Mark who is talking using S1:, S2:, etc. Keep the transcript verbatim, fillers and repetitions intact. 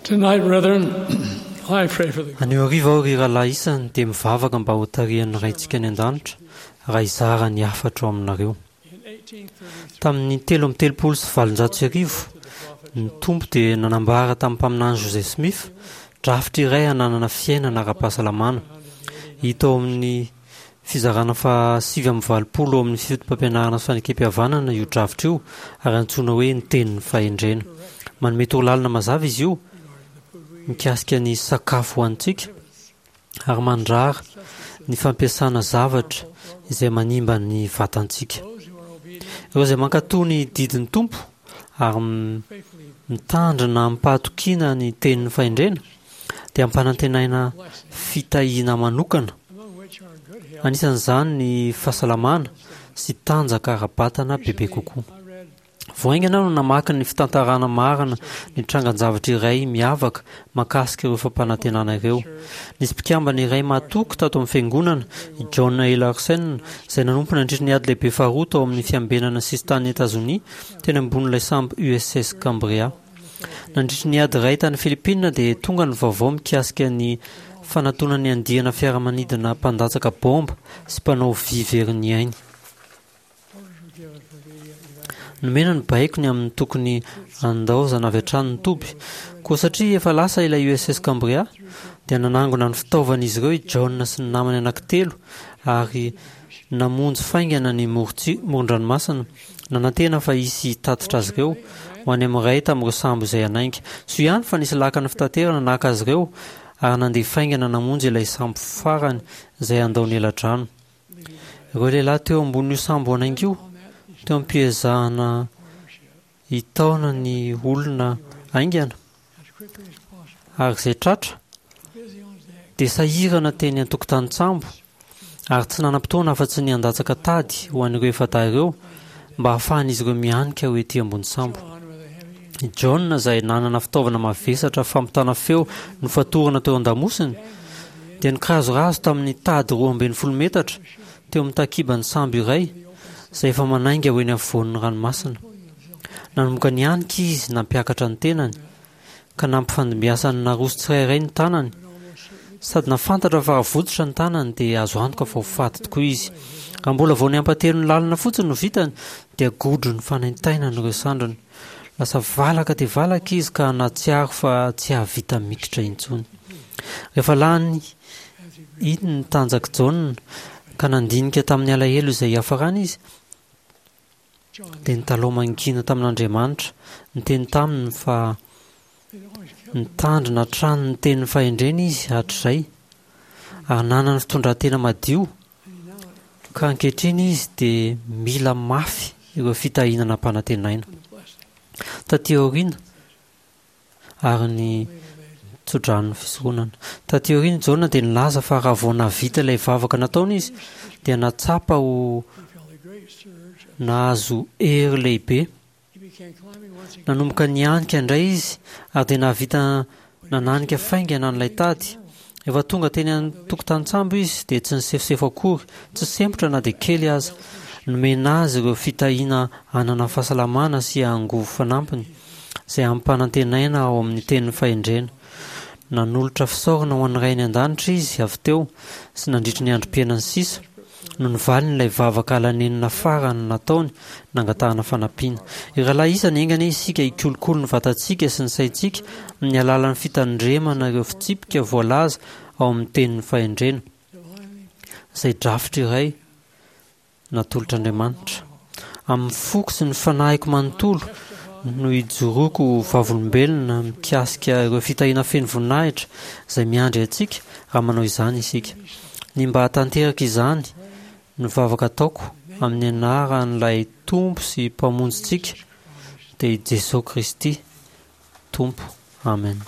S1: Tonight, brethren, I pray for the
S2: Anio hariva aho, ry rahalahy isany, dia mivavaka mba hotarihan'ny Raintsika any an-danitra raha hizara ny hafatro aminareo. Tamin'ny telo amby telopolo sy valonjato sy arivo, ny Tompo dia nanambara tamin'ny mpaminany Joseph Smith drafitra iray hananana fiainana ara-pahasalamana. Hita ao amin'ny fizarana fahasivy amby valopolo ao amin'ny Fotopampianarana sy Fanekempihavanana io drafitra io ary antsoina hoe ny Tenin'ny Fahendrena. Manome torolalana mazava izy io mikasika ny sakafo hohanintsika ary mandrara ny fampiasana zavatra izay manimba ny vatantsika. Ireo izay mankatò ny didin'ny Tompo ary mitandrina amim-pahatokiana ny Tenin'ny Fahendrena dia ampanantenaina fitahiana manokana, anisan'izany ny fahasalamana sy tanjaka ara-batana bebe kokoa. Vao haingana aho no namaky ny fitantarana marina ny trangan-javatra iray miavaka mahakasika ireo fampanantenana ireo. Nisy mpikambana iray mahatoky tato amin'ny fiangonana, i John A. Larsen, izay nanompo nandritra ny Ady Lehibe Faharoa tao amin'ny fiambenana sisin-tanin'i Etazonia teny ambonin'ilay sambo U S S Cambria. Nandritra ny ady iray tany Philippines dia tonga ny vaovao mikasika ny fanatonan'ny andiana fiaramanidina mpandatsaka baomba sy mpanao vy very ny ainy. Nomena ny baiko ny amin'ny tokony handaozana avy hatrany ny toby. Koa satria efa lasa ilay U S S Cambria, dia nanangona ny fitaovan'izy ireo i John sy ny namany anankitelo ary namonjy faingana ny moron-dranomasina, nanantena fa hisy hitatitra azy ireo ho any amin'ny iray tamin'ireo sambo izay hanainga. Soa ihany fa nisy lakana fitaterana naka azy ireo ary nandeha faingana namonjy ilay sambo farany izay handao ny eladrano. Ireo lehilahy teo ambonin'io sambo hanainga io, teo am-piezahana hitaona ny olona haingana ary izay tratra, dia sahirana teny an-tokotanin-tsambo ary tsy nanam-potoana afa-tsy ny handatsaka tady ho an'ireo efa-dahy ireo mba hahafahan'izy ireo mihanika ho ety ambony sambo. I John, izay nanana fitaovana mavesatra fampitana feo nofatorana teo an-damosiny, dia nikirazorazo tamin'ny tady roa ambin'ny folo metatra teo amin'ny takiban'ny sambo iray izay efa manainga ho eny afovoan'ny ranomasina. Nanomboka nihanika izy nampiakatra ny tenany ka nampifandimbiasany naroso tsirairay ny tanany, sady nahafantatra fa raha votsotra ny tanany dia azo antoka fa ho faty tokoa izy. Raha mbola vao ny ampahatelon'ny lalana fotsiny no vitany dia godro ny fanaintainany ireo sandriny. Lasa valaka dia valaka izy ka nahatsiaro fa tsy hahavita mikitra intsony. Rehefa lany iny ny tanjak'i Jaona ka nandinika tamin'ny alahelo izay hiafarany izy, dia nitalaho mangina tamin'Andriamanitra, niteny taminy fa nitandrina hatrany ny tenin'ny fahendrena izy hatrizay ary nanana fitondran-tena madio, ka ankehitriny izy dia mila mafy ireo fitahiana nampanantenaina. Taty aoriana, ary ny tsodranon'ny fisoronana. Taty aoriana Jaona dia nilaza fa raha vao nahavita ilay vavaka nataony izy dia nahatsapa ho nahazo hery lehibe. Nanomboka nihanika indray izy ary dia nahavita nananika faingana an'ilay tady. Efa tonga teny an-tokotanin-tsambo izy dia tsy nisefosefo akory, tsy sempotra na dia kely aza. Nomena azy ireo fitahiana hanana fahasalamana sy angovo fanampiny, izay ampanantenaina ao amin'ny tenin'ny fahendrena. Nanolotra fisaorana ho an'ny Rainy an-danitra izy avy teo sy nandritry ny androm-piainany sisa, no nivaliny ilay vavaka alanenina farany nataony nangatahana fanampiana. Ry rahalahy isany, enga anie isika hikolokolo ny vatantsika sy ny saintsika amin'ny alalan'ny fitandremana ireo fitsipika voalaza ao amin'ny tenin'ny fahendrena, izay drafitra iray natolotr'Andriamanitra. Amin'ny foko sy ny fanahiko manontolo no ijoroako ho vavolombelona mikasika ireo fitahiana feno voninahitra izay miandry antsika raha manao izany isika. Ny mba hahatanteraka izany no vavaka ataoko amin'ny anaran'ilay Tompo sy Mpamonjintsika, dia i Jesoa Kristy Tompo. Amen.